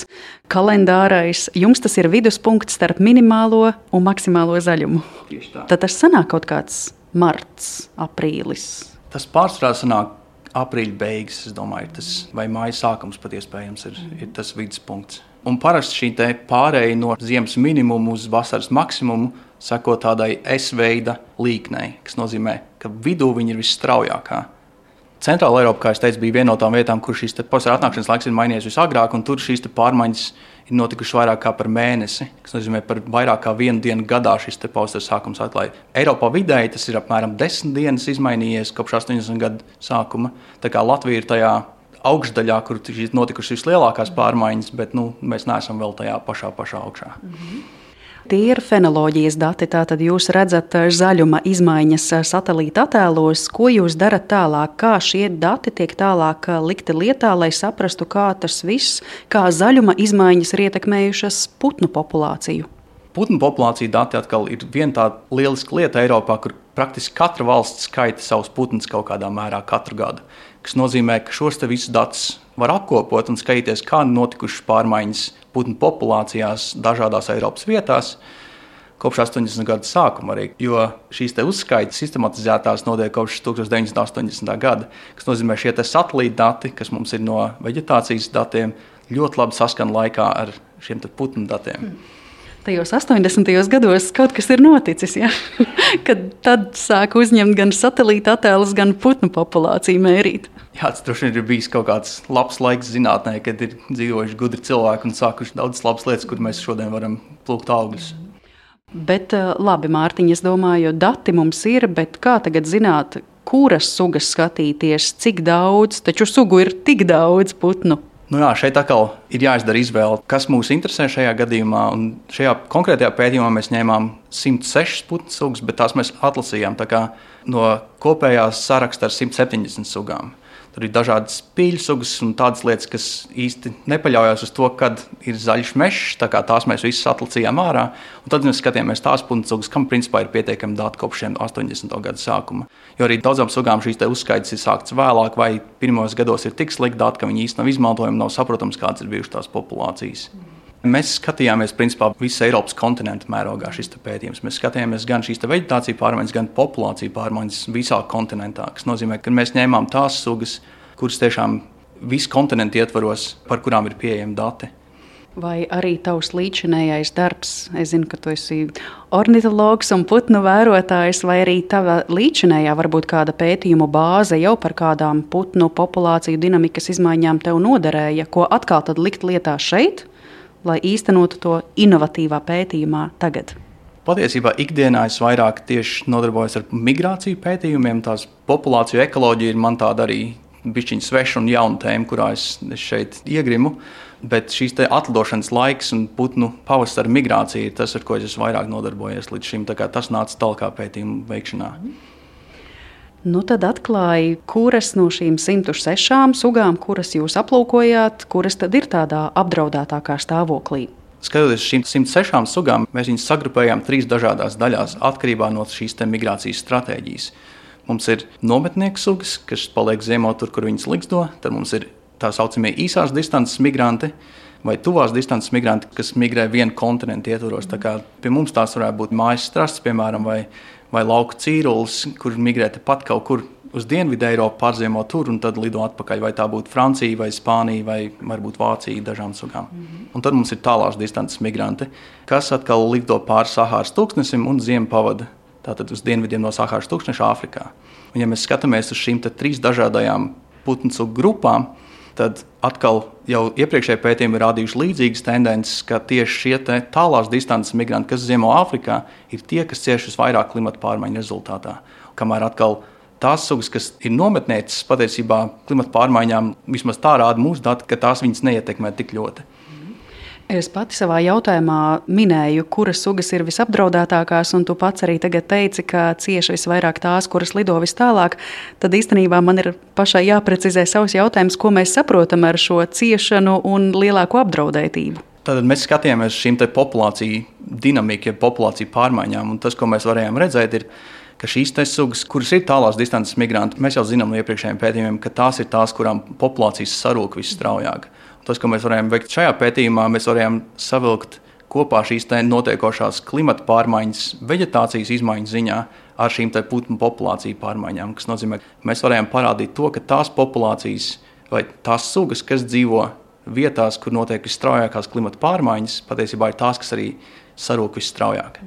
kalendārais. Jums tas ir viduspunkts starp minimālo un maksimālo zaļumu. Tieši tā. Tad tas sanāk kaut kāds marts, aprīlis. Tas pārsvarā sanāk aprīļa beigas, es domāju, tas, vai māja sākums pat iespējams ir, ir tas viduspunkts. Un parasti šī te pārēja no ziemas minimumu uz vasaras maksimumu seko tādai S-veida līknei, kas nozīmē, ka vidū viņa ir visstraujākā. Centrāla Eiropa, kā es teicu, bija viena no tām vietām, kur šīs pavasara atnākšanas laiks ir mainījies visagrāk, un tur šīs pārmaiņas ir notikušas vairāk kā par mēnesi, kas nozīmē, par vairāk kā vienu dienu gadā šis pavasara sākums atklāja. Eiropā vidēji tas ir apmēram desmit dienas izmainījies kopš astoņdesmito gadu sākuma. Tā kā Latvija ir tajā augšdaļā, kur ir notikušas vislielākās pārmaiņas, bet nu, mēs neesam vēl tajā pašā, pašā augšā. Mm-hmm. Tie ir fenoloģijas dati, tātad jūs redzat zaļuma izmaiņas satelīta attēlos. Ko jūs darat tālāk? Kā šie dati tiek tālāk likti lietā, lai saprastu, kā tas viss, kā zaļuma izmaiņas ir ietekmējušas putnu populāciju? Putnu populācija dati atkal ir viena tāda lieliska lieta Eiropā, kur praktiski katra valsts skaita savus putnus kaut kādā mērā katru gadu. Kas nozīmē, ka šos te visus datus var apkopot un skatīties, kā notikušas pārmaiņas putnu populācijās dažādās Eiropas vietās kopš astoņdesmito gadu sākuma arī, jo šīs te uzskaitas sistematizētās notiek kopš tusenstoš deviņsimt astoņdesmitā gada, kas nozīmē šie te satelīta dati, kas mums ir no veģetācijas datiem, ļoti labi saskan laikā ar šiem te putnu datiem. Hmm. Tajos astoņdesmitajos gados kaut kas ir noticis, ja? Kad tad sāk uzņemt gan satelīta attēlus, gan putnu populāciju mērīt. Jā, tas droši vien ir bijis kaut kāds labs laiks zinātnē, kad ir dzīvojuši gudri cilvēki un sākuši daudzas labas lietas, kur mēs šodien varam plūkt augļus. Bet labi, Mārtiņ, es domāju, dati mums ir, bet kā tagad zināt, kuras sugas skatīties, cik daudz, taču sugu ir tik daudz putnu? Nu jā, šeit atkal ir jāizdara izvēle, kas mūs interesē šajā gadījumā. Un šajā konkrētajā pētījumā mēs ņēmām simt sešas putnu sugas, bet tās mēs atlasījām tā kā no kopējās saraksta ar simt septiņdesmit sugām. Tur ir dažādas spīļu sugas un tādas lietas, kas īsti nepaļaujas uz to, kad ir zaļš mežs, tā kā tās mēs visas atlasījām ārā. Un tad mēs skatījāmies tās putnu sugas, kam principā ir pietiekami dati kopš šiem astoņdesmito gadu sākuma. Jo arī daudzām sugām šīs te uzskaitas ir sāktas vēlāk, vai pirmos gados ir tik slikti dati, ka viņi īsti nav izmantojami, nav saprotams, kādas ir bijušas tās populācijas. Mēs skatījāmies principā visas Eiropas kontinentu mērogā šis pētījums. Mēs skatījāmies gan šīs veģetāciju pārmaiņas, gan populāciju pārmaiņas visā kontinentā, kas nozīmē, ka mēs ņēmām tās sugas, kuras tiešām visu kontinentu ietvaros, par kurām ir pieejami dati. Vai arī tavs līdzinējais darbs, es zinu, ka tu esi ornitologs un putnu vērotājs, vai arī tava līdzinējā varbūt kāda pētījumu bāze jau par kādām putnu populāciju dinamikas izmaiņām tev noderēja, ko atkal tad likt lietā šeit, lai īstenotu to inovatīvā pētījumā tagad? Patiesībā ikdienā es vairāk tieši nodarbojos ar migrāciju pētījumiem, tās populāciju ekoloģija ir man tāda arī bišķiņa sveša un jauna tēma, kurā es, es šeit iegrimu. Bet šīs te atlidošanas laiks un putnu pavasara migrācija ir tas, ar ko es vairāk nodarbojos līdz šim. Tā kā tas nāca tālākā pētījuma veikšanā. Nu tad atklāja, kuras no šīm simt sešām sugām, kuras jūs aplūkojāt, kuras tad ir tādā apdraudētākā stāvoklī. Skatoties uz šīm simt sešām sugām, mēs viņus sagrupējām trīs dažādās daļās atkarībā no šīs te migrācijas stratēģijas. Mums ir nometnieku sugas, kas paliek ziemot tur, kur viņas liksto. Tad mums ir tā saucamie īsās distances migranti vai tuvās distances migranti, kas migrē vienu kontinentu ietvaros. Tā kā pie mums tās varētu būt mājas strasts, piemēram, vai, vai lauku cīrulis, kur migrē tepat kaut kur uz Dienvidu Eiropu, pārziemo tur un tad lido atpakaļ. Vai tā būtu Francija, vai Spānija, vai varbūt Vācija dažām sugām. Mm-hmm. Un tad mums ir tālās distances migranti, kas atkal lido pāri Sahāras tūkstnesim un ziemu pavada tātad uz dienvidiem no Sahāras tūkstneša Āfrikā. Un ja mēs skatāmies uz šīm trīs dažādajām putnu sugu grupām, tad atkal jau iepriekšējie pētījumi ir rādījuši līdzīgas tendences, ka tieši šie tālās distances migranti, kas ziemo Āfrikā, ir tie, kas cieš visvairāk klimata pārmaiņu rezultātā. Kamēr atkal tās sugas, kas ir nometnieces, patiesībā klimata pārmaiņām, vismaz tā rāda mūsu dati, ka tās viņas neietekmē tik ļoti. Es pati savā jautājumā minēju, kuras sugas ir visapdraudētākās, un tu pats arī tagad teici, ka cieši visvairāk tās, kuras lido vis tālāk. Tad īstenībā man ir pašai jāprecizē savs jautājums, ko mēs saprotam ar šo ciešanu un lielāko apdraudētību. Tad mēs skatījāmies šīm te populāciju dinamiku, ja populāciju pārmaiņām, un tas, ko mēs varējām redzēt, ir, ka šīs te sugas, kuras ir tālās distances migranti, mēs jau zinām no iepriekšējiem pētījumiem, ka tās ir tās, kurām populācijas sarūk visstraujāk. Tas, ko mēs varējām veikt šajā pētījumā, mēs varējām savilkt kopā šīs notiekošās klimata pārmaiņas, veģetācijas izmaiņu ziņā ar šīm putnu populāciju pārmaiņām. Tas nozīmē, ka mēs varējām parādīt to, ka tās populācijas vai tās sugas, kas dzīvo vietās, kur notiek visstraujākās klimata pārmaiņas, patiesībā ir tās, kas arī sarūk visstraujāk.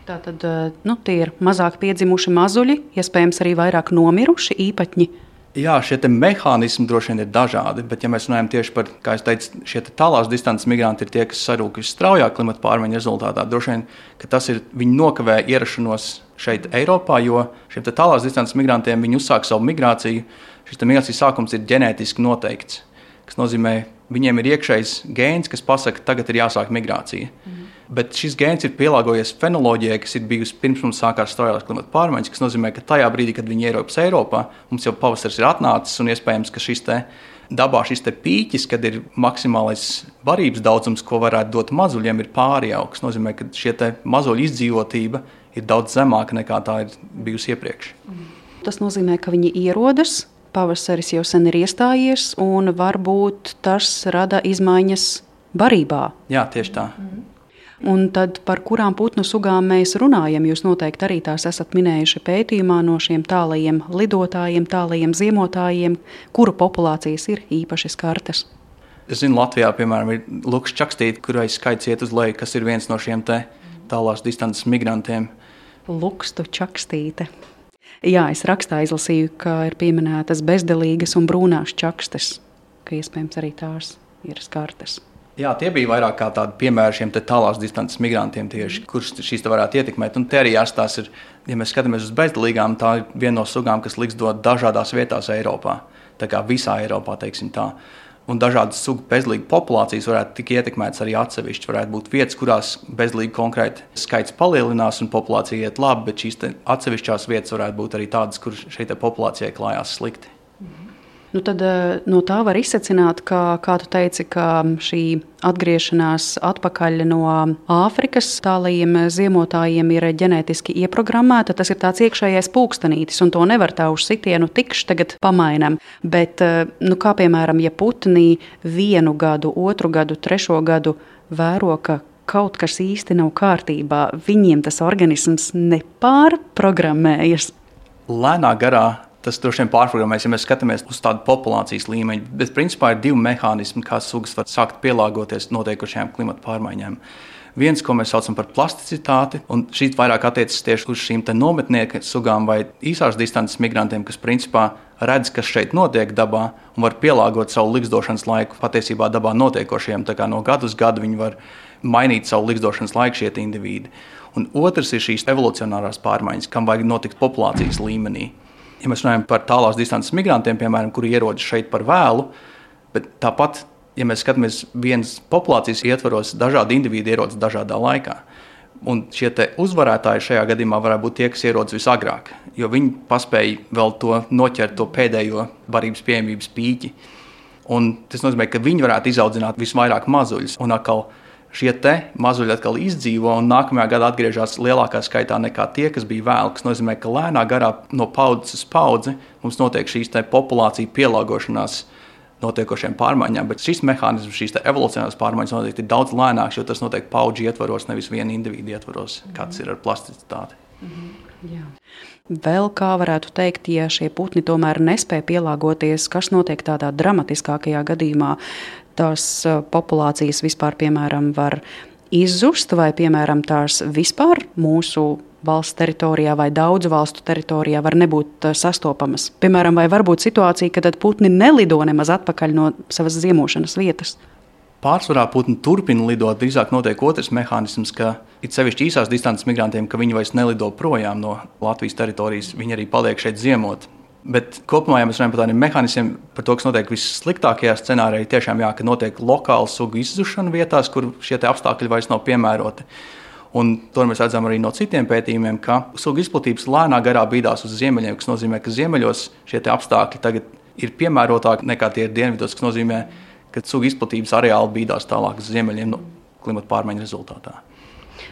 Tātad nu, tie ir mazāk piedzimuši mazuļi, iespējams arī vairāk nomiruši īpatņi. Jā, šie mehānismi droši vien ir dažādi, bet ja mēs runājam tieši par, kā es teicu, šie tālās distances migranti ir tie, kas sarūk visstraujāk klimata pārmaiņu rezultātā. Droši vien, ka tas ir, viņi nokavē ierašanos šeit Eiropā, jo šiem tālās distances migrantiem viņi uzsāk savu migrāciju. Šis migrācijas sākums ir ģenētiski noteikts, kas nozīmē, viņiem ir iekšējs gēns, kas pasaka, ka tagad ir jāsāk migrācija. Mm. Bet šis gēns ir pielāgojies fenoloģijai, kas ir bijusi pirms mums sākās straujākās klimata pārmaiņas, kas nozīmē, ka tajā brīdī, kad viņi ierodas Eiropā, mums jau pavasaris ir atnācis un iespējams, ka šis te dabā šis te pīķis, kad ir maksimālais barības daudzums, ko varētu dot mazuļiem, ir pārjauks. Tas nozīmē, ka šie te mazuļu izdzīvotība ir daudz zemāka nekā tā ir bijusi iepriekš. Tas nozīmē, ka viņi ierodas, pavasaris jau sen ir iestājies un varbūt tas rada izmaiņas barībā. Jā, tieši tā. Mm. Un tad par kurām putnu sugām mēs runājam? Jūs noteikti arī tās esat minējuši pētījumā no šiem tālajiem lidotājiem, tālajiem ziemotājiem, kuru populācijas ir īpaši skartas. Es zinu, Latvijā, piemēram, ir luks čakstīte, kurai skaits iet uz leju, kas ir viens no šiem te tālās distances migrantiem. Lukstu čakstīte. Jā, es rakstā izlasīju, ka ir pieminētas bezdelīgas un brūnās čakstes, ka iespējams arī tās ir skartas. Jā, tie bija vairāk kā tādi piemēri šiem tālās distances migrantiem tieši, kurš šīs te varētu ietekmēt. Un te arī jāstās ir, ja mēs skatāmies uz bezdelīgām, tā ir viena no sugām, kas likstdot dažādās vietās Eiropā. Tā kā visā Eiropā, teiksim tā. Un dažādas sugu bezdelīgu populācijas varētu tik ietekmētas arī atsevišķi. Varētu būt vietas, kurās bezdelīgi konkrēti skaits palielinās un populācija iet labi, bet šīs te atsevišķās vietas varētu būt arī tādas, kur šeit populācijai klājās slikti. Nu tad no tā var izsecināt, ka, kā tu teici, ka šī atgriešanās atpakaļ no Āfrikas tālajiem ziemotājiem ir ģenētiski ieprogrammēta. Tas ir tāds iekšējais pulkstenītis, un to nevar tā uz sitienu tikšķi tagad pamainam. Bet, nu, kā piemēram, ja putnī vienu gadu, otru gadu, trešo gadu vēro, ka kaut kas īsti nav kārtībā, viņiem tas organisms nepārprogrammējas. Lēnā garā tas droši vien pārprogrammēs, ja mēs skatāmies uz tādu populācijas līmeņu. Bet principā ir divi mehānismi, kā sugas var sākt pielāgoties notiekošajām klimata pārmaiņām. Viens, ko mēs saucam par plasticitāti, un šī vairāk attiecas tieši uz šīm nometnieku sugām vai īsās distances migrantiem, kas principā redz, kas šeit notiek dabā un var pielāgot savu ligzdošanas laiku patiesībā dabā notiekošajiem. Tā kā no gadu uz gadu viņi var mainīt savu ligzdošanas laiku šie indivīdi. Un otrs ir šīs evolucionārās pārmaiņas, kam vajag notikt populācijas līmenī. Ja mēs runājam par tālās distances migrantiem, piemēram, kuri ierodas šeit par vēlu, bet tāpat, ja mēs skatāmies vienas populācijas ietvaros, dažādi indivīdi ierodas dažādā laikā. Un šie te uzvarētāji šajā gadījumā varētu būt tie, kas ierodas visagrāk, jo viņi paspēja vēl to noķert to pēdējo barības pieejamības pīķi. Un tas nozīmē, ka viņi varētu izaudzināt visvairāk mazuļus. Un atkal šie te mazuļi atkal izdzīvo un nākamajā gadā atgriežas lielākā skaitā nekā tie, kas bija vēl, kas nozīmē, ka lēnā garā no paudzes uz paudzi mums notiek šīs te populācija pielāgošanās notiekošiem pārmaiņām, bet šis mehānisms, šīs evolucionārās pārmaiņas noteikti ir daudz lēnāks, jo tas notiek paudžu ietvaros, nevis viena individu ietvaros, kāds ir ar plasticitāti. Mm-hmm. Jā. Vēl kā varētu teikt, ja šie putni tomēr nespēja pielāgoties, kas notiek tādā dramatiskākajā gadījumā, tās populācijas vispār, piemēram, var izzust vai, piemēram, tās vispār mūsu valsts teritorijā vai daudzu valstu teritorijā var nebūt sastopamas. Piemēram, vai var būt situācija, ka tad putni nelido nemaz atpakaļ no savas ziemošanas vietas? Pārsvarā putni turpina lidot, drīzāk notiek otrs mehānisms, ka it sevišķi īsās distances migrantiem, ka viņi vairs nelido projām no Latvijas teritorijas, viņi arī paliek šeit ziemot. Bet kopumā, ja mēs runājam par tādiem mehānismiem, par to, kas notiek vissliktākajā scenārijā, tiešām jā, ka notiek lokāla sugu izzušana vietās, kur šie apstākļi vairs nav piemēroti. Un to mēs redzam arī no citiem pētījumiem, ka sugu izplatības lēnā garā bīdās uz ziemeļiem, kas nozīmē, ka ziemeļos šie apstākļi tagad ir piemērotāki nekā tie ir dienvidos, kas nozīmē, ka sugu izplatības areāli bīdās tālāk uz ziemeļiem no klimata pārmaiņu rezultātā.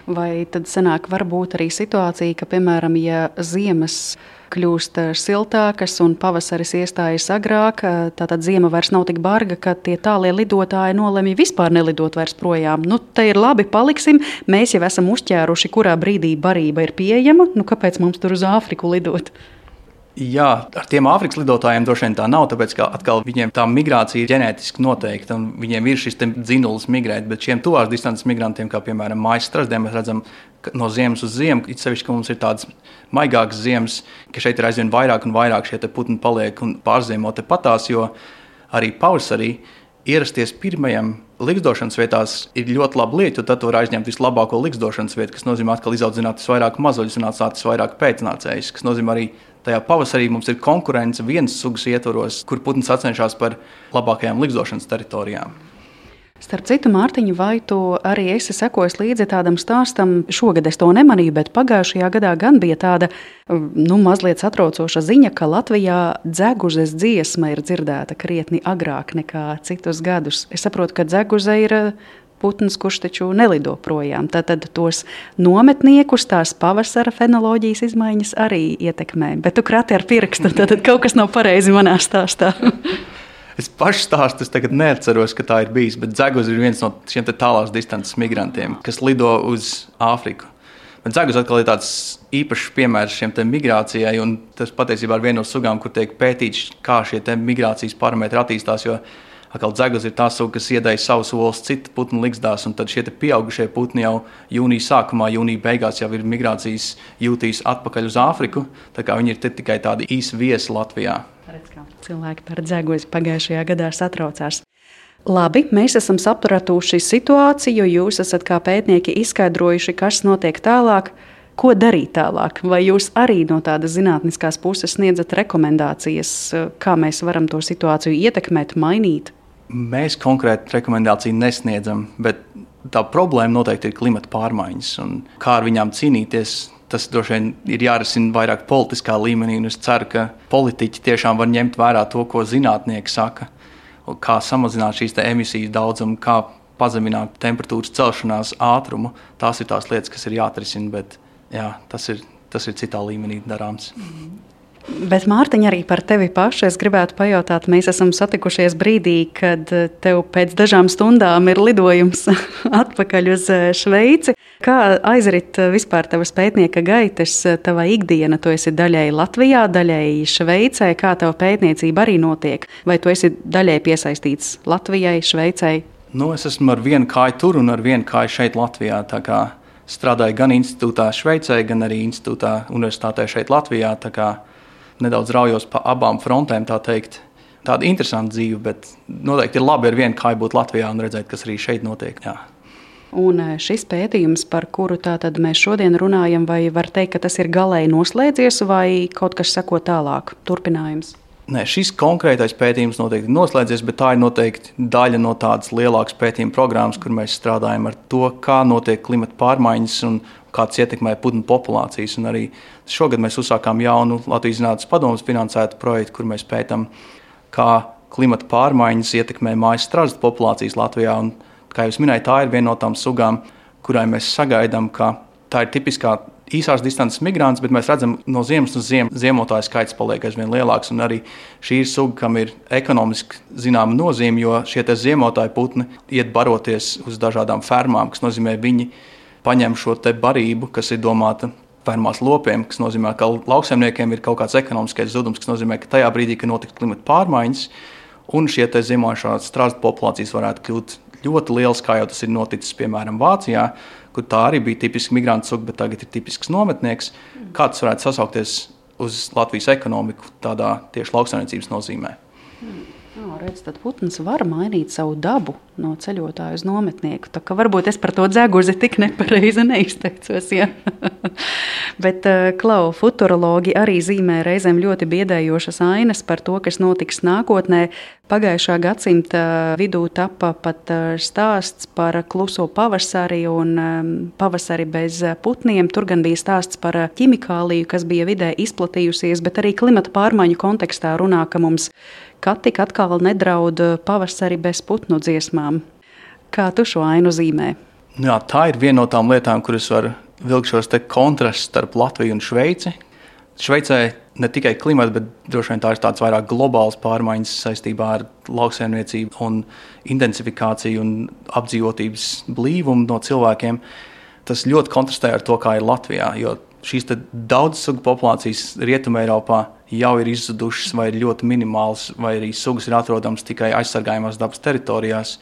Vai tad sanāk varbūt arī situācija, ka, piemēram, ja ziemas kļūst siltākas un pavasaris iestājas agrāk, tātad ziema vairs nav tik barga, ka tie tālie lidotāji nolemj vispār nelidot vairs projām. Nu, te ir labi, paliksim, mēs jau esam uzķēruši, kurā brīdī barība ir pieejama, nu kāpēc mums tur uz Āfriku lidot? Jā, ar tiem Āfrikas lidotājiem droši vien tā nav, tāpēc ka atkal viņiem tā migrācija ir ģenētiski noteikta un viņiem ir šis dzinulis migrēt, bet šiem tuvās distances migrantiem, kā piemēram mājas strazdiem, mēs redzam, ka no ziemas uz ziemu, it sevišķi, ka mums ir tādas maigākas ziemas, ka šeit ir aizvien vairāk un vairāk šie te putni paliek un pārziemo te patās, jo arī pavasarī ierasties pirmajam ligzdošanas vietās ir ļoti laba lieta, jo tad var aizņemt vislabāko ligzdošanas vietu, kas nozīmē atkal izaudzināt visvairāk mazuļus un atstāt visvairāk pēcnācējus, kas nozīmē arī tajā pavasarī mums ir konkurence vienas sugas ietvaros, kur putni sacenšas par labākajām ligzdošanas teritorijām. Starp citu, Mārtiņ, vai tu arī esi sekojis līdzi tādam stāstam? Šogad es to nemanīju, bet pagājušajā gadā gan bija tāda nu, mazliet satraucoša ziņa, ka Latvijā dzeguzes dziesma ir dzirdēta krietni agrāk nekā citus gadus. Es saprotu, ka dzeguze ir putns, kurš taču nelido projām. Tātad tos nometniekus, tās pavasara fenoloģijas izmaiņas arī ietekmē. Bet tu krati ar pirkstu, tātad kaut kas nav pareizi manā stāstā. Es pašu stāstu es tagad neatceros, ka tā ir bijis, bet dzeguze ir viens no šiem tālās distances migrantiem, kas lido uz Āfriku. Bet dzeguze atkal ir tāds īpašs piemērs šiem te migrācijai, un tas patiesībā ir viena no sugām, kur tiek pētīts, kā šie te migrācijas parametri attīstās, jo atkal dzeguze ir tā suga, kas iedēja savus olas citu putnu ligzdās, un tad šie te pieaugušie putni jau jūnija sākumā, jūnija beigās jau ir migrācijas jūtīs atpakaļ uz Āfriku, tā kā viņi ir tikai tādi īsi viesi Latvijā. Redz, kā cilvēki par dzeguzi pagājušajā gadā satraucās. Labi, mēs esam sapratuši situāciju, jūs esat kā pētnieki izskaidrojuši, kas notiek tālāk. Ko darīt tālāk? Vai jūs arī no tādas zinātniskās puses sniedzat rekomendācijas, kā mēs varam to situāciju ietekmēt, mainīt? Mēs konkrēti rekomendāciju nesniedzam, bet tā problēma noteikti ir klimata pārmaiņas un kā ar viņām cīnīties. Tas droši vien ir jārisina vairāk politiskā līmenī, un es ceru, ka politiķi tiešām var ņemt vērā to, ko zinātnieki saka, kā samazināt šīs emisijas daudzumu, kā pazemināt temperatūras celšanās ātrumu. Tās ir tās lietas, kas ir jāatrisina, bet jā, tas ir, tas ir citā līmenī darāms. Bet, Mārtiņ, arī par tevi pašu es gribētu pajautāt. Mēs esam satikušies brīdī, kad tev pēc dažām stundām ir lidojums atpakaļ uz Šveici. Kā aizrit vispār tavas pētnieka gaitas, tava ikdiena? Tu esi daļēji Latvijā, daļēji Šveicē. Kā tava pētniecība arī notiek? Vai tu esi daļēji piesaistīts Latvijai, Šveicei? Nu, es esmu ar vienu kāju tur un ar vienu kāju šeit Latvijā. Tā kā strādāju gan institūtā Šveicē, gan arī institūtā universitātē šeit Latvijā. Tā kā nedaudz raujos pa abām frontēm, tā teikt. Tāda interesanta dzīve, bet noteikti ir labi ar vienu kāju būt Latvijā un redzēt, kas arī šeit notiek. Jā. Un šis pētījums, par kuru tātad mēs šodien runājam, vai var teikt, ka tas ir galēji noslēdzies vai kaut kas seko tālāk, turpinājums? Nē, šis konkrētais pētījums noteikti ir noslēdzies, bet tā ir noteikti daļa no tādas lielākas pētījuma programmas, kur mēs strādājam ar to, kā notiek klimata pārmaiņas un kā tas ietekmē putnu populācijas. Un arī šogad mēs uzsākām jaunu Latvijas Zinātnes padomes finansētu projektu, kur mēs pētām, kā klimata pārmaiņas ietekmē mājas strazdu populācijas Latvijā. Un, kā jau minēju, tā ir viena no tām sugām, kurai mēs sagaidām, ka tā ir tipiskā īsās distances migrants, bet mēs redzam, no ziemas uz ziemu ziemotāju skaits paliek aizvien lielāks. Un arī šī ir suga, kam ir ekonomiski zināma nozīme, jo šie ziemotāju putni iet baroties uz dažādām fermām, kas nozīmē, viņi paņem šo te barību, kas ir domāta fermās lopiem, kas nozīmē, ka lauksaimniekiem ir kaut kāds ekonomiskais zudums, kas nozīmē, ka tajā brīdī, kad notiks klimata pārmaiņas, un šie te ziemojošās strazdu populācijas varētu kļūt ļoti liels, kā jau tas ir noticis, piemēram, Vācijā, kur tā arī bija tipiski migrantu suga, bet tagad ir tipisks nometnieks. Kā tas varētu sasaukties uz Latvijas ekonomiku tādā tieši lauksaimniecības nozīmē? Jā, redz, tad putns var mainīt savu dabu no ceļotāja uz nometnieku. Tā kā varbūt es par to dzeguzi tik nepareizi neizteicos. Ja? Bet, Klau, futurologi arī zīmē reizēm ļoti biedējošas ainas par to, kas notiks nākotnē. Pagājušā gadsimta vidū tapa pat stāsts par kluso pavasari un pavasari bez putniem. Tur gan bija stāsts par ķimikāliju, kas bija vidē izplatījusies, bet arī klimata pārmaiņu kontekstā runā, ka mums kad tik atkal nedraud pavasari bez putnu dziesmām. Kā tu šo ainu zīmē? Jā, tā ir viena no tām lietām, kuras var vilkt šos te kontrastus starp Latviju un Šveici. Šveicē ne tikai klimata, bet droši vien tā ir tāds vairāk globāls pārmaiņas saistībā ar lauksaimniecību un intensifikāciju un apdzīvotības blīvumu no cilvēkiem. Tas ļoti kontrastē ar to, kā ir Latvijā, jo šīs daudz sugu populācijas Rietumē Eiropā jau ir izzudušas vai ir ļoti minimāls, vai arī sugas ir atrodams tikai aizsargājumās dabas teritorijās,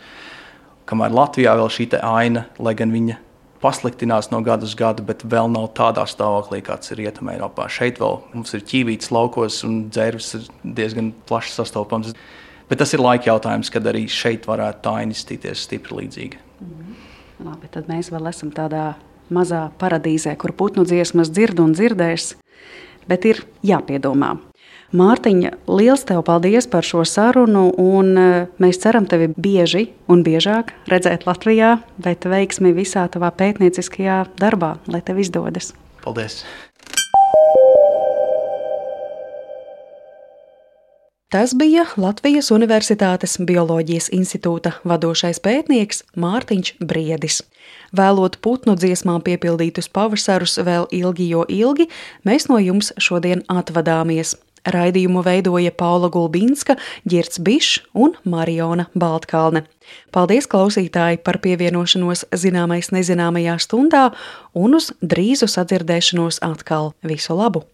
kamēr Latvijā vēl šī te aina, lai gan viņa pasliktinās no gada uz gadu, bet vēl nav tādā stāvoklī, kāds ir Rietumē Eiropā. Šeit vēl mums ir ķīvītes laukos un dzērves ir diezgan plaši sastopams. Bet tas ir laika jautājums, kad arī šeit varētu tā aina izstīties stipri līdzīga. Mm. Labi, tad mēs vēl esam tādā mazā paradīzē, kur putnu dziesmas dzird un dzirdēs, bet ir jāpiedomā. Mārtiņa, liels tev paldies par šo sarunu, un mēs ceram tevi bieži un biežāk redzēt Latvijā, bet veiksmi visā tavā pētnieciskajā darbā, lai tev izdodas. Paldies! Tas bija Latvijas Universitātes Bioloģijas institūta vadošais pētnieks Mārtiņš Briedis. Vēlot putnu dziesmām piepildītus pavasarus vēl ilgi, jo ilgi, mēs no jums šodien atvadāmies. Raidījumu veidoja Paula Gulbinska, Ģirds Bišs un Mariona Baltkalne. Paldies, klausītāji, par pievienošanos Zināmais nezināmajā stundā un uz drīzu sadzirdēšanos atkal. Visu labu!